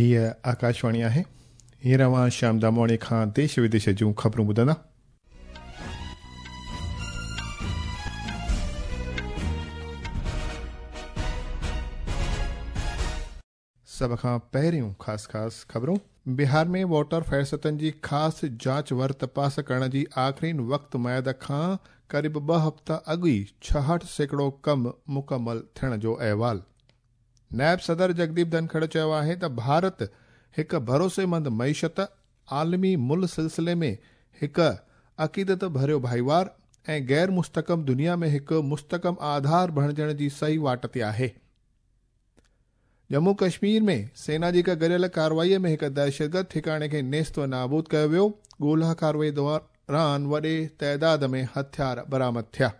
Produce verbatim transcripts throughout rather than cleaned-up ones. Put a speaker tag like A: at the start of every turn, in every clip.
A: हीअ आकाशवाणी आहे। हींअर अव्हां श्याम दामवाणी खां देश विदेश जूं ख़बरूं ॿुधंदा। सभ खां पहिरियों ख़ासि ख़ासि ख़बरूं। बिहार में वोटर फहरिस्तनि जी ख़ासि जांच वर तपास करण जी आख़िरीन वक़्त मयाद खां क़रीब ॿ हफ़्ता अॻु ई छाहठि सैकड़ो कमु मुकमल थियण जो अहवाल। नायब सदर जगदीप धनखड़ चयो आहे त भारत हिकु भरोसेमंद मईशत, आलमी मुल्ह सिलसिले में हिकु अक़ीदत भरियो भाईवार ऐं गैर मुस्तकम दुनिया में हिकु मुस्तकम आधार बणिजण जी सही वाट ते आहे। जम्मू कश्मीर में सेना जी हिकु गॾियल कार्रवाईअ में हिकु दहशतगर्द ठिकाणे खे नेस्त व नाबूद कयो वियो। ॻोल्हा कार्रवाई दौरान वॾे तइदाद में हथियार बरामद थिया।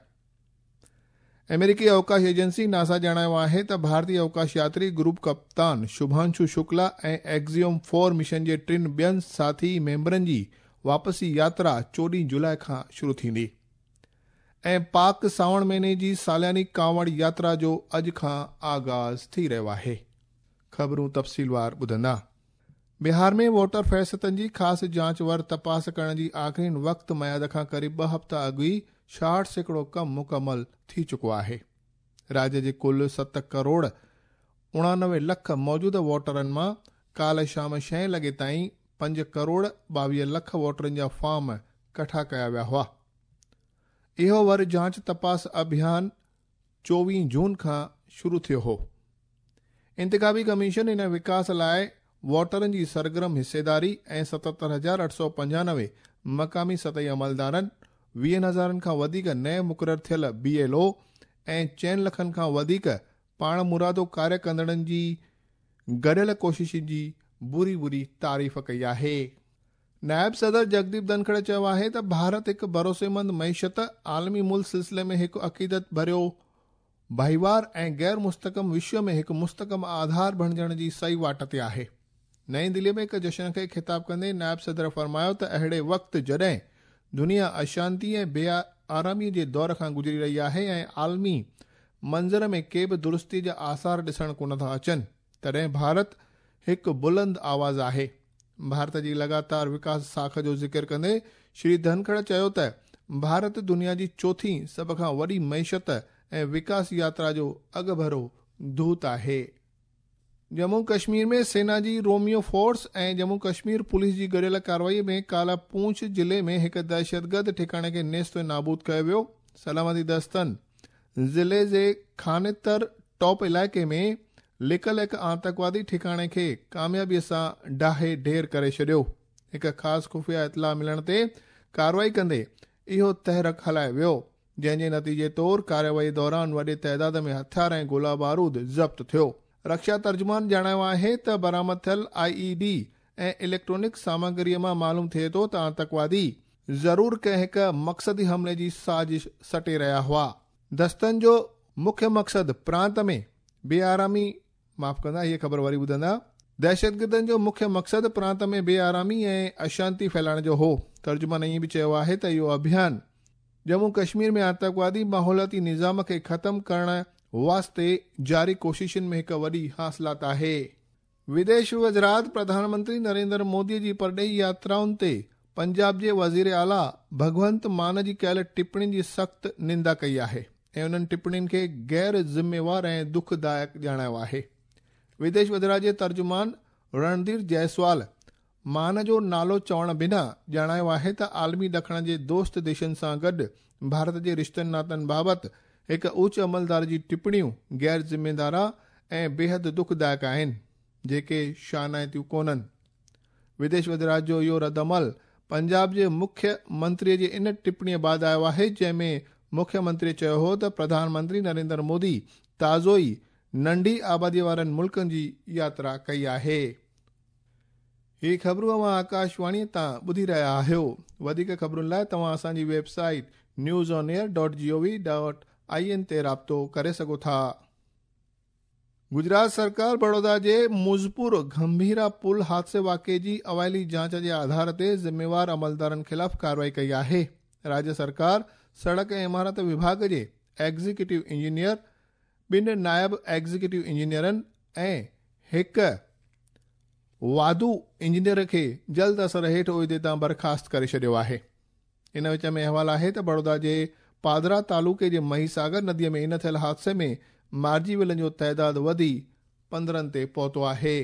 A: अमेरिकी अवकाश एजेंसी नासा ॼाणायो आहे त भारतीय अवकाश यात्री ग्रुप कप्तान शुभांशु शुक्ला ऐं एक्सियोम फोर मिशन जे टिनि ॿियनि साथी मेंबरनि जी वापसी यात्रा चोॾहं जुलाई खां शुरू थींदी। ऐं पाक सावण महीने जी सालियानी कांवड़ यात्रा जो अॼु खां आगाज़ थी रहियो आहे। ख़बरूं तफ़सीलवार ॿुधंदा। बिहार में वोटर फहरिस्तनि जी ख़ासि जांच वर तपास करण जी आख़िरीन वक़्त मयाद खां क़रीब ॿ हफ़्ता अॻु ई छाहठि सैकड़ो कमु मुकमल थी चुको आहे। राज्य जे कुल सत करोड़ उणानवे लख मौजूदा वोटरनि मां काल्ह शाम छहें लॻे ताईं पंज करोड़ ॿावीह लख वोटरनि जा फॉर्म कठा कया विया हुआ। इहो वर जांच तपास अभियान चोवीह जून खां शुरू थियो हो। इंतिखाबी कमीशन इन विकास लाइ वोटरनि जी सरगर्म हिस्सेदारी ऐं सतहतरि हज़ार अठ सौ पंजानवे मक़ामी सतही अमलदारनि, वीहनि हज़ारनि खां वधीक नए मुक़ररु थियल बी एल ओ ऐं चइनि लखनि खां वधीक पाण मुरादो कार्य कंदड़नि जी गॾियल कोशिशनि जी बुरी बुरी तारीफ़ कई आहे। नायब सदर जगदीप धनखड़ चयो आहे त भारत हिकु भरोसेमंद मईशत, आलमी मुल्ह सिलसिले में हिकु अक़ीदत भरियो भाईवार ऐं गैर मुस्तकम विश्व में हिकु मुस्तकम आधार बणिजण जी सही वाट ते आहे। नई दिल्ली में हिकु जश्न खे ख़िताब कंदे नायब सदर फ़रमायो त अहिड़े वक़्तु जॾहिं दुनिया अशांति ऐं बेआरामी जे दौर खां गुज़री रही आहे ऐं आलमी मंज़र में के बि दुरुस्ती जा आसार ॾिसण कोन था अचनि, तॾहिं भारत हिकु बुलंद आवाज़ आहे। भारत जी लगातार विकास साख जो ज़िक्र कंदे श्री धनखड़ चयो त भारत दुनिया जी चोथी सभ खां वॾी मईशत ऐं विकास यात्रा जो अॻुभरो दूत आहे। जम्मू कश्मीर में सेना जी रोमियो फोर्स ऐं जम्मू कश्मीर पुलिस जी गॾियल कार्रवाई में काला पूंछ ज़िले में हिकु दहशतगर्द ठिकाणे खे नेस्त नाबूद कयो वियो। सलामती दस्तनि ज़िले जे खानेतर टॉप इलाइक़े में लिकल हिकु आतंकवादी ठिकाणे खे कामयाबीअ सां डाहे ढेर करे छॾियो। हिकु ख़ासि ख़ुफ़िया इतला मिलण ते कार्रवाई कंदे इहो तहरक हलायो वियो, जंहिंजे नतीजे तौर कार्रवाई दौरान वॾे तइदाद में हथियार ऐं गोला बारूद ज़ब्त थियो। रक्षा तर्जुमान ॼाणायो आहे त बरामद थियल आई ई डी ऐं इलेक्ट्रॉनिक सामग्रीअ मां मालूम थिए थो त आतंकवादी ज़रूर कंहिं हिकु मक़सदी हमले जी साज़िश सटे रहिया हुआ। दस्तनि जो मुख्य मक़सदु प्रांत में बेआरामी, माफ़ कंदा, हीअ ख़बर वरी ॿुधंदा। दहशतगर्दनि जो मुख्य मक़सदु प्रांत में बेआरामी ऐं अशांति फैलाइण जो हो। तर्जुमान ईअं बि चयो आहे त इहो अभियान जम्मू कश्मीर में आतंकवादी माहौलियाती निज़ाम खे ख़त्म करण वास्ते जारी कोशिशुनि में हिकु वॾी हासिलात आहे। विदेश वज़ारत प्रधानमंत्री नरेंद्र मोदी जी परॾेही यात्राउनि ते पंजाब जे वज़ीर आला भगवंत मान जी कयल टिप्पणियुनि जी सख़्तु निंदा कई आहे ऐं उन्हनि टिप्पणियुनि खे गैर ज़िम्मेवार ऐं दुखदायक ॼाणायो आहे। विदेश वज़ारत जे तर्जुमान रणधीर जायसवाल मान जो नालो चवण बिना ॼाणायो आहे त आलमी ॾखण जे दोस्त देशनि सां गॾु भारत जे रिश्तनि नातनि बाबति हिकु उच्च अमलदार जी टिप्पणियूं गैर ज़िम्मेदारा ऐं बेहद दुखदायक आहिनि, जेके शानाइतियूं कोन्हनि। विदेश वज़ारत जो इहो रद्द अमल पंजाब जे मुख्य मंत्रीअ जे इन टिप्पणीअ बाद आयो आहे जंहिंमें मुख्य मंत्री चयो हो त प्रधानमंत्री नरेंद्र मोदी ताज़ो ई नंढी आबादीअ वारनि मुल्कनि जी यात्रा कई आहे। हीअ ख़बरूं अव्हां आकाशवाणीअ तां ॿुधी रहिया आहियो। वधीक ख़बरुनि लाइ तव्हां असांजी website news on air dot G O V dot I N ते राब्तो करे सघो था। गुजरात सरकार बड़ौदा जे मुज़पुर गंभीरा पुल हादसे वाक़े जी अवाइली जांच जे आधार ते ज़िम्मेवार अमलदारनि ख़िलाफ़ कार्रवाई कई आहे। राज्य सरकार सड़क ऐं इमारत विभाग जे एग्जीक्यूटिव इंजीनियर, ॿिनि नायब एग्जीक्यूटिव इंजीनियरनि ऐं हिकु واڌو انجنيئر کي جلد اثر هيٺ عهدي تان برخاست ڪري ڇڏيو آهي. ان وچ ۾ احوال آهي ته بڙودا جي پادرا تعلقي جي مهيساگر نديء ۾ ان ٿيل حادثي ۾ مارجي ويلن جو تعداد وڌي پندرهن تي پهتو آهي.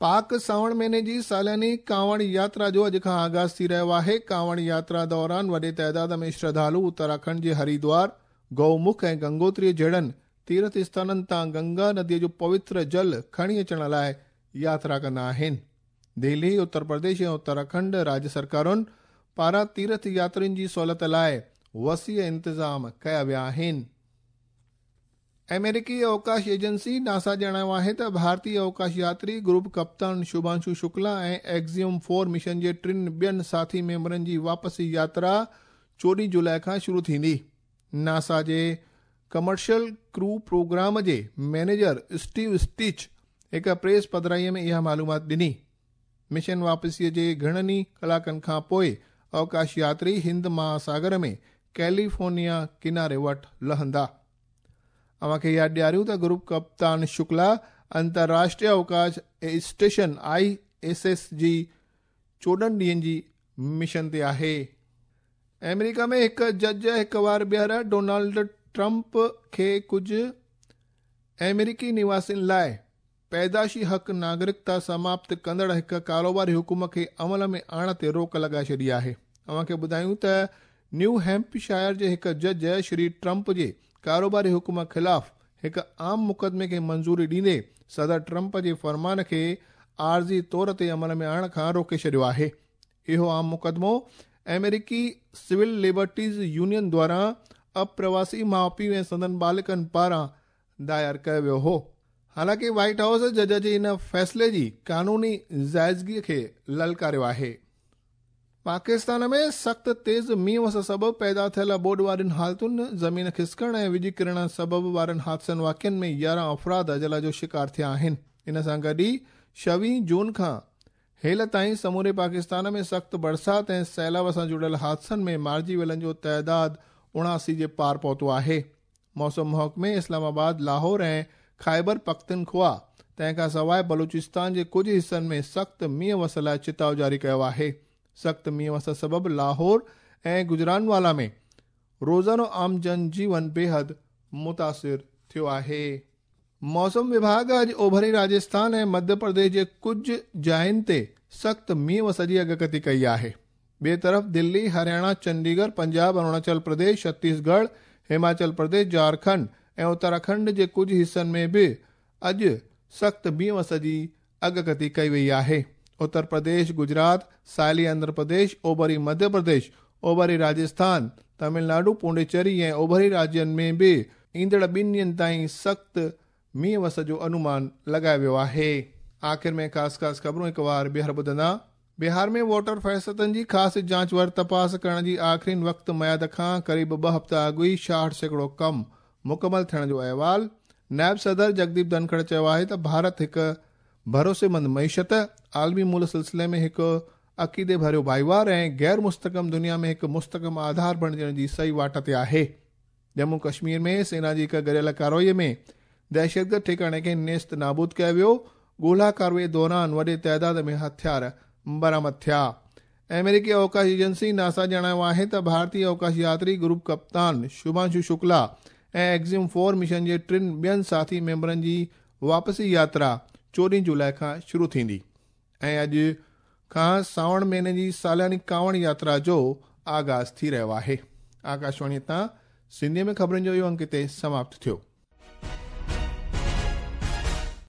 A: پاڪ سانوڻ مهيني جي سالياني ڪانوڙ ياترا جو اڄ کان آغاز ٿي رهيو آهي. ڪانوڙ ياترا دوران وڏي تعداد ۾ شرڌالو اتراکنڊ جي هردوار، گئومک ۽ گنگوتري جهڙن تيرٿ اسٿانن تان گنگا نديء جو پوتر جل کڻي اچڻ لاءِ ياترا ڪندا آهن. دهلي، اتر پرديش ۽ اتراکنڊ راجيه سرڪارن پاران تيرٿ ياترين جي سهولت لاءِ وسيع انتظام ڪيا ويا آهن. آمريڪي اوڪاش ايجنسي ناسا ڄاڻايو آهي ته ڀارتي اوڪاش ياتري گروپ ڪپتان شڀانشو شڪلا ۽ ايگزيوم فور مشن جي ٽن ٻين ساٿي ميمبرن جي واپسي ياترا چوڏهين جولاءِ کان شروع ٿيندي. ناسا جي ڪمرشل ڪرو پروگرام جي مئنيجر اسٽيو اسٽيچ هڪ پريس پڌرائيءَ ۾ اها معلومات ڏني. مشن واپسيءَ جي گهڻن ئي ڪلاڪن کان پوءِ اوڪاش ياتري هند مهاساگر ۾ ڪيليفورنيا ڪناري وٽ لهندا. اوهان کي ياد ڏياريون ته گروپ ڪپتان Shukla انترراشٽريه اوڪاش station I S S جي چوڏهن ڏينهن جي مشن تي آهي. آمريڪا ۾ هڪ جج هڪ وار ٻيهر ڊونالڊ ٽرمپ کي ڪجهه آمريڪي نواسين لاءِ پيدائشي حق ناگرڪتا سماپت ڪندڙ هڪ ڪاروباري حڪم کي عمل ۾ آڻڻ تي روڪ لڳائي ڇڏي آهي. اوهان کي ٻڌايون ته نيو هيمپشائر جي هڪ جج شري ٽرمپ جي ڪاروباري حڪم خلاف هڪ عام مقدمي کي منظوري ڏيندي صدر ٽرمپ جي فرمان کي عارضي طور تي عمل ۾ آڻڻ کان روڪي ڇڏيو آهي. اهو عام مقدمو آمريڪي سول لبرٽيز يونين دواران اپرواسي ماءُ پيءُ ۽ سندن ٻالڪن پاران دائر ڪيو ويو هو. حالانڪه وائيٽ هائوس جج جي ان فيصلي جي قانوني جائزگي کي للڪاريو آهي. پاڪستان ۾ سخت تيز مينهن وس سبب پيدا ٿيل ٻوڏ وارين حالتن، زمين کسڪڻ ۽ وڄ ڪرڻ سبب وارن حادثن واقعن ۾ يارهن افراد اجل جو شڪار ٿيا آهن. ان سان گڏ ئي ڇويهه جون کان هيل تائين سموري پاڪستان ۾ سخت برسات ۽ سيلاب سان جڙيل حادثن ۾ مارجي ويلن جو تعداد اڻاسي جي پار پهتو آهي. موسم محڪمي اسلام آباد، لاهور ۽ خيبر پختونخوا تنهن کان سواءِ بلوچستان جي ڪجهه حصن ۾ سخت مينهن وس لاءِ چتاءُ جاري ڪيو آهي. سخت مينهن وس سبب لاهور ۽ گجرانوالا ۾ روزانو عام جن جيون بيحد متاثر ٿيو آهي. موسم وڀاڳ اڄ اوڀري راجسٿان ۽ مڌيه پرديش جي ڪجهه جاين تي سخت مينهن وس جي اڳڪٿي ڪئي آهي. ٻئي طرف دلي، هرياڻا، چنڊيڳڙهه، پنجاب، اروناچل پرديش، ڇتيسڳڙهه، هماچل پرديش، جهارکنڊ ۽ اتراکنڊ جي ڪجهه حصن ۾ به اڄ سخت مينهن وس جي اڳڪٿي ڪئي وئي آهي. اتر پرديش، گجرات، ساحلي آنڌرا پرديش، اوڀري مڌيه پرديش، اوڀري راجسٿان، تامل ناڊو، پونڊيچيري ۽ اوڀري راجين ۾ به ايندڙ ٻن ڏينهن تائين سخت مينهن وس جو انومان لڳايو ويو آهي. آخر ۾ خاص خاص خبرون هڪ وار ٻيهر ٻڌندا. بهار ۾ ووٽر فهرستن جي خاص جاچ ور تپاس ڪرڻ جي آخرين وقت ميعاد کان قريب ٻه هفتا اڳ ئي ڇاهٺ سيڪڙو ڪم مڪمل ٿيڻ جو احوال. نائب صدر جگديپ ڌنکڙ چيو آهي ته ڀارت هڪ ڀروسيمند معيشت، عالمي مول سلسلي ۾ هڪ عقيدي ڀريو ڀائيوار ۽ غير مستحڪم دنيا ۾ هڪ مستحڪم آڌار بڻجڻ جي صحيح واٽ تي آهي. ڄمون ڪشمير ۾ سينا جي هڪ گڏيل ڪارروائي ۾ دهشتگرد ٺڪاڻي کي نيست نابود ڪيو ويو. ڳولا ڪارروائي دوران وڏي تعداد ۾ هٿيار برآمد ٿيا. آمريڪي اوڪاش ايجنسي ناسا ڄاڻايو آهي ته ڀارتي اوڪاش ياتري گروپ ڪپتان شڀانشو شڪلا ۽ ايگزيوم فور مشن جي ٽن ٻين ساٿي ميمبرن جي واپسي ياترا چوڏهين جولاءِ کان شروع ٿيندي ۽ اڄ کان سانوڻ مهيني جي سالياني ڪانوڙ ياترا جو آغاز ٿي رهيو آهي. آڪاشواڻي تان سنڌيءَ ۾ خبرن جو اهو انڪ هتي سماپت ٿيو.